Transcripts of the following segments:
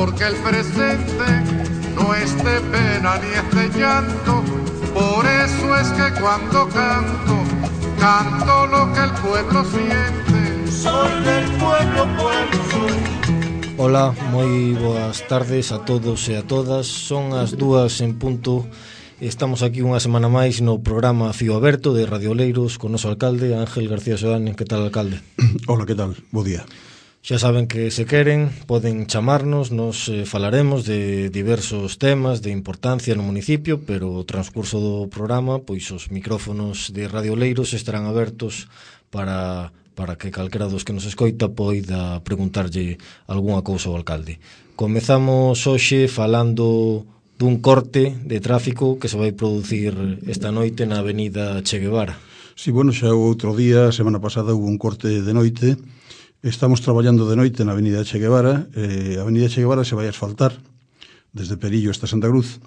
porque el presente no es de pena ni es de llanto. Por eso es que cuando canto, canto lo que el pueblo siente. Soy del pueblo, pueblo soy. Ola, moi boas tardes a todos e a todas. Son as 2 en punto. Estamos aquí unha semana máis no programa Fío Aberto de Radio Oleiros con noso alcalde, Ángel García Soane. Que tal, alcalde? Hola, que tal? Bo día. Xa saben que se queren, poden chamarnos, nos falaremos de diversos temas de importancia no municipio, pero o transcurso do programa, pois os micrófonos de Radio Oleiros estarán abertos para que calquera dos que nos escoita poida preguntarlle algunha cousa ao alcalde. Comezamos hoxe falando dun corte de tráfico que se vai producir esta noite na avenida Che Guevara. Sí, bueno, xa outro día, semana pasada, hubo un corte de noite. Estamos traballando de noite na avenida Che Guevara. A avenida Che Guevara se vai a asfaltar desde Perillo hasta Santa Cruz.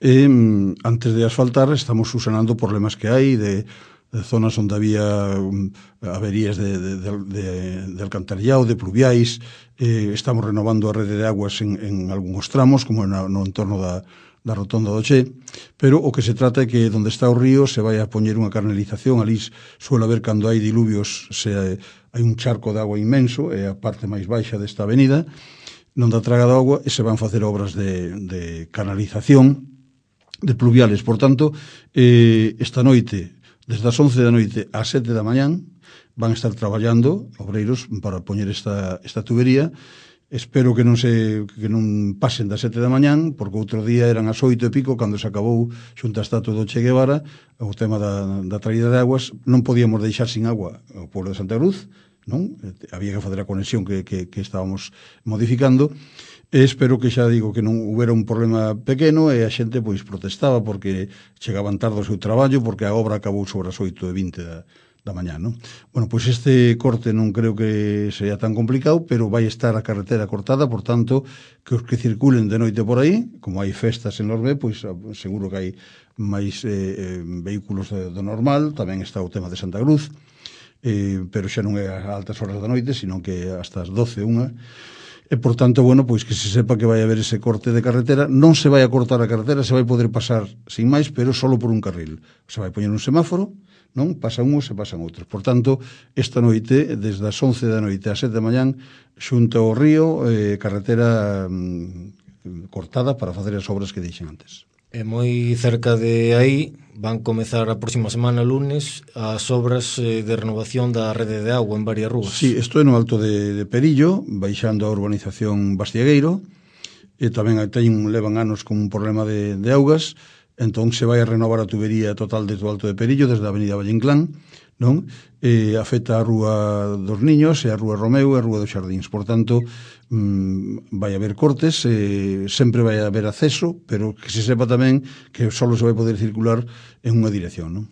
Antes de asfaltar estamos subsanando problemas que hai de zonas onde había averías de alcantarillado, de pluviais. Estamos renovando a rede de aguas en algúns tramos, como no entorno da rotonda do Che, pero o que se trata é que onde está o río se vai a poñer unha canalización. Ali suele haber, cando hai diluvios, hai un charco de agua inmenso, é a parte máis baixa desta avenida, non dá traga de agua, e se van facer obras de canalización de pluviales. Por tanto, esta noite, desde as 11 da noite ás 7 da mañán, van estar traballando obreiros para poñer esta tubería. Espero que non pasen das 7 da mañán, porque outro día eran as 8 e pico, cando se acabou xunta a estatua do Che Guevara o tema da traída de aguas. Non podíamos deixar sin agua o pueblo de Santa Cruz, non? Había que facer a conexión que estábamos modificando. Espero que, xa digo, que non houbera un problema pequeno e a xente pois protestaba porque chegaban tarde ao seu traballo, porque a obra acabou sobre as 8:20 da mañá, non? Bueno, pois este corte non creo que sea tan complicado, pero vai estar a carretera cortada, por tanto, que os que circulen de noite por aí, como hai festas en Orbe, pois seguro que hai máis vehículos do normal. Tamén está o tema de Santa Cruz, pero xa non é a altas horas da noite, sino que hasta as 12, 1. E, por tanto, bueno, pois que se sepa que vai haber ese corte de carretera. Non se vai a cortar a carretera, se vai poder pasar sin máis, pero solo por un carril. Se vai poñer un semáforo, non? Pasan uns e pasan outros. Por tanto, esta noite, desde as 11 da noite ás 7 da mañán, xunto ao río, carretera cortada para facer as obras que dixen antes. E moi cerca de aí van comezar a próxima semana, lunes, as obras de renovación da rede de agua en varias rúas. Sí, isto é no alto de Perillo, baixando a urbanización Bastiegueiro, e tamén levan anos con un problema de augas. Entón se vai a renovar a tubería total desde o alto de Perillo, desde a avenida Valle Inclán, non? Afecta a Rúa dos Niños e a Rúa Romeu e a Rúa dos Xardíns. Por tanto, vai haber cortes, sempre vai haber acceso, pero que se sepa tamén que só se vai poder circular en unha dirección, non?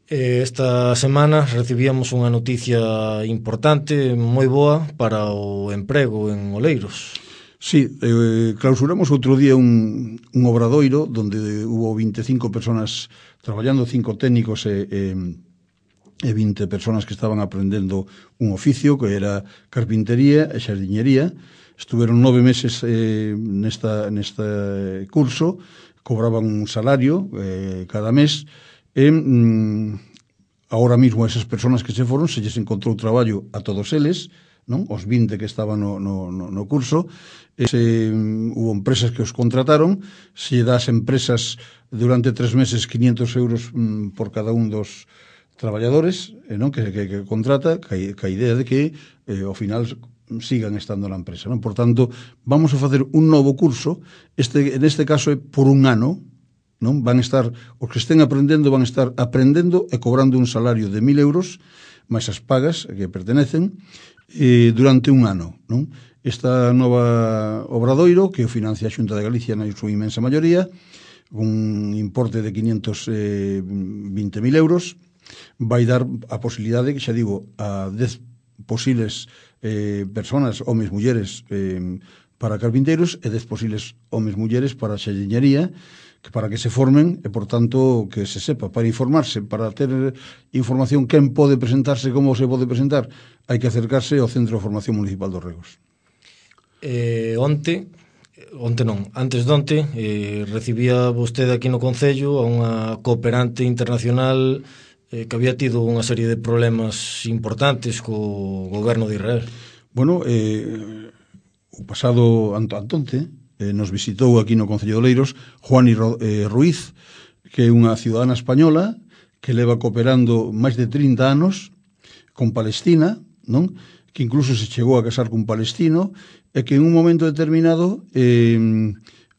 Esta semana recibíamos unha noticia importante, moi boa para o emprego en Oleiros. Sí, clausuramos outro día un obradoiro onde hubo 25 personas traballando, 5 técnicos e 20 personas que estaban aprendendo un oficio que era carpintería e xardiñería. Estuveron 9 meses neste curso, cobraban un salario cada mes e agora mismo esas personas que se foron se lles encontrou traballo a todos eles, non? Os 20 que estaban no curso. Hubo empresas que os contrataron. Se das empresas durante 3 meses 500 euros por cada un dos traballadores, non? Que contrata, ca idea de que ao final sigan estando na empresa, non? Por tanto, vamos a facer un novo curso. Neste caso é por un ano, non? Van estar, os que estén aprendendo van estar aprendendo e cobrando un salario de 1000 euros máis as pagas que pertenecen durante un ano, non? Esta nova obradoiro que o financia a Xunta de Galicia na súa inmensa maioría, un importe de 520.000 euros, vai dar a posibilidade, que xa digo, a 10 posibles personas, homes, mulleres, para carpinteiros e 10 posibles homes, mulleres para xardiñería, para que se formen e, por tanto, que se sepa, para informarse, para ter información quen pode presentarse, como se pode presentar, hai que acercarse ao Centro de Formación Municipal dos Regos. Antes de onte, recibía vostede aquí no Concello a unha cooperante internacional que había tido unha serie de problemas importantes co goberno de Israel. Bueno, o pasado antonte nos visitou aquí no Concello de Oleiros Juani Ruiz, que é unha ciudadana española que leva cooperando máis de 30 anos con Palestina, non? Que incluso se chegou a casar cun palestino, e que en un momento determinado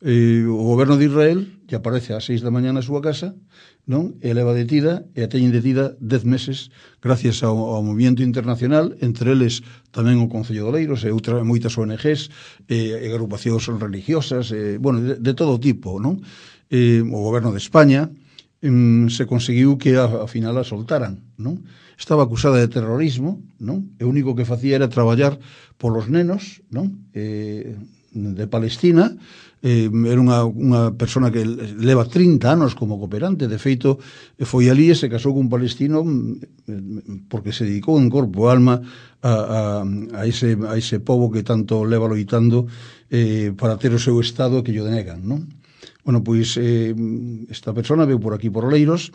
o goberno de Israel lle aparece ás 6 da mañá na súa casa, non? E leva detida, e a teñen detida 10 meses gracias ao movimento internacional, entre eles tamén o Concello de Oleiros e moitas ONGs e agrupacións religiosas, bueno, de todo tipo, non? O goberno de España se conseguiu que ao final a soltaran, non? Estaba acusada de terrorismo, non? E o único que facía era traballar polos nenos, non? De Palestina. Era unha persona que leva 30 anos como cooperante. De feito, foi ali e se casou cun palestino porque se dedicou en corpo e alma a ese pobo que tanto leva loitando para ter o seu estado que lle denegan, non? Bueno, pois esta persona veu por aquí por Oleiros,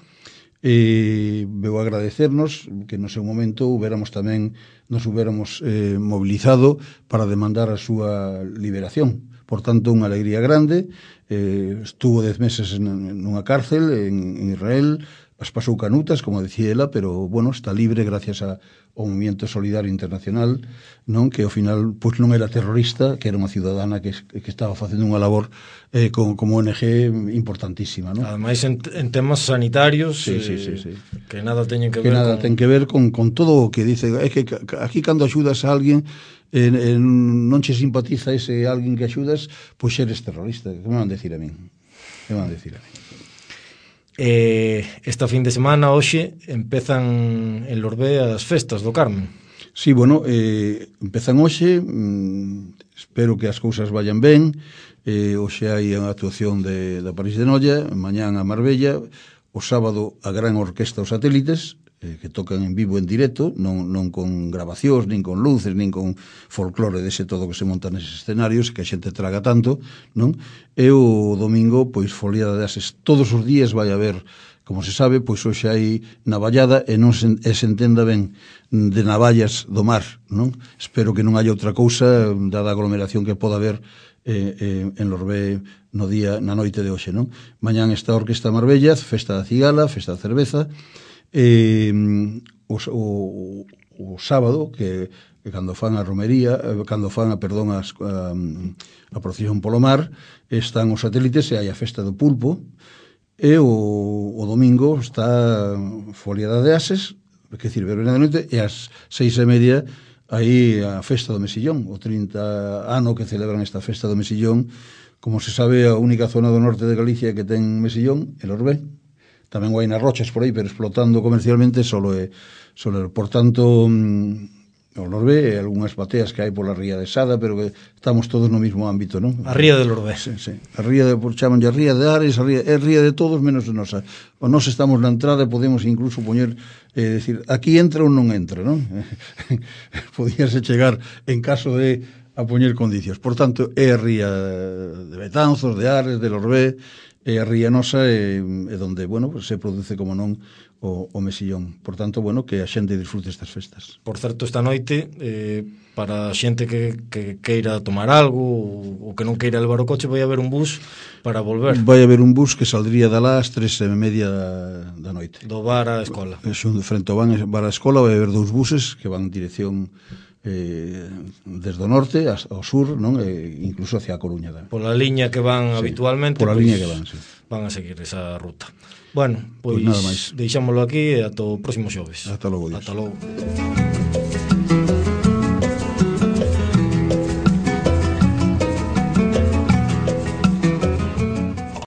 veu agradecernos que no seu momento nos huberamos mobilizado para demandar a súa liberación. Por tanto, unha alegría grande. Estuvo 10 meses nunha cárcel en Israel, as pasou canutas, como decía ela, pero, bueno, está libre gracias ao Movimiento Solidario Internacional, non? Que ao final pois non era terrorista, que era unha ciudadana que estaba facendo unha labor como ONG importantísima, non? Ademais, en temas sanitarios, sí. que nada teñen que ver ten que ver con todo o que dice. É que aquí cando axudas a alguén non che simpatiza ese alguén que axudas, pois eres terrorista. Que me van decir a min? Esta fin de semana, hoxe, empezan en Lorbé as festas do Carmen. Sí, bueno, empezan hoxe, espero que as cousas vayan ben. Hoxe hai unha actuación da París de Noia, mañán a Marbella, o sábado a gran orquesta Os Satélites, que tocan en vivo, en directo, non con grabacións, nin con luces, nin con folclore dese todo que se monta neses escenarios, que a xente traga tanto, non? E o domingo, pois, foliada de ases. Todos os días vai haber, como se sabe, pois hoxe hai navallada e se entenda ben de navallas do mar, non? Espero que non haya outra cousa, dada a aglomeración que poda haber en Lorbé na noite de hoxe, non? Mañán está a Orquesta Marbella, festa da cigala, festa da cerveza. O sábado, que cando fan a romería, cando fan a procesión polo mar, están os satélites e hai a festa do pulpo, e o domingo está foliada de ases, que decir, verbena de noite, e ás 6:30 aí a festa do Mesillón, o 30 ano que celebran esta festa do Mesillón. Como se sabe, a única zona do norte de Galicia que ten Mesillón é Lorbé. Tamén hai nas rochas por aí, pero explotando comercialmente solo por tanto, o Lorbé e algunhas bateas que hai pola ría de Sada, pero que estamos todos no mismo ámbito, non? A ría de Lorbé. Sí. A ría chamanlle a ría de Ares, é ría de todos menos de nosa. Nós estamos na entrada e podemos incluso poñer, decir, aquí entra ou non entra, non? Podíase chegar en caso de a poñer condicións. Por tanto, é a ría de Betanzos, de Ares, de Lorbé, e a ría nosa é onde, bueno, se produce, como non, o Mesillón. Por tanto, bueno, que a xente disfrute estas festas. Por certo, esta noite, para a xente que queira tomar algo ou que non queira levar o coche, vai haber un bus para volver. Vai haber un bus que saldría de lá ás 3:30 da noite. Do bar á escola. Frente ao bar á escola vai haber 2 buses que van en dirección desde o norte ao sur, non? Incluso hacia a Coruña. Pola liña que van habitualmente, pola liña que van, sí. Van a seguir esa ruta. Bueno, pois nada máis. Deixámoslo aquí e ata o próximo xoves. Ata logo. Ata logo.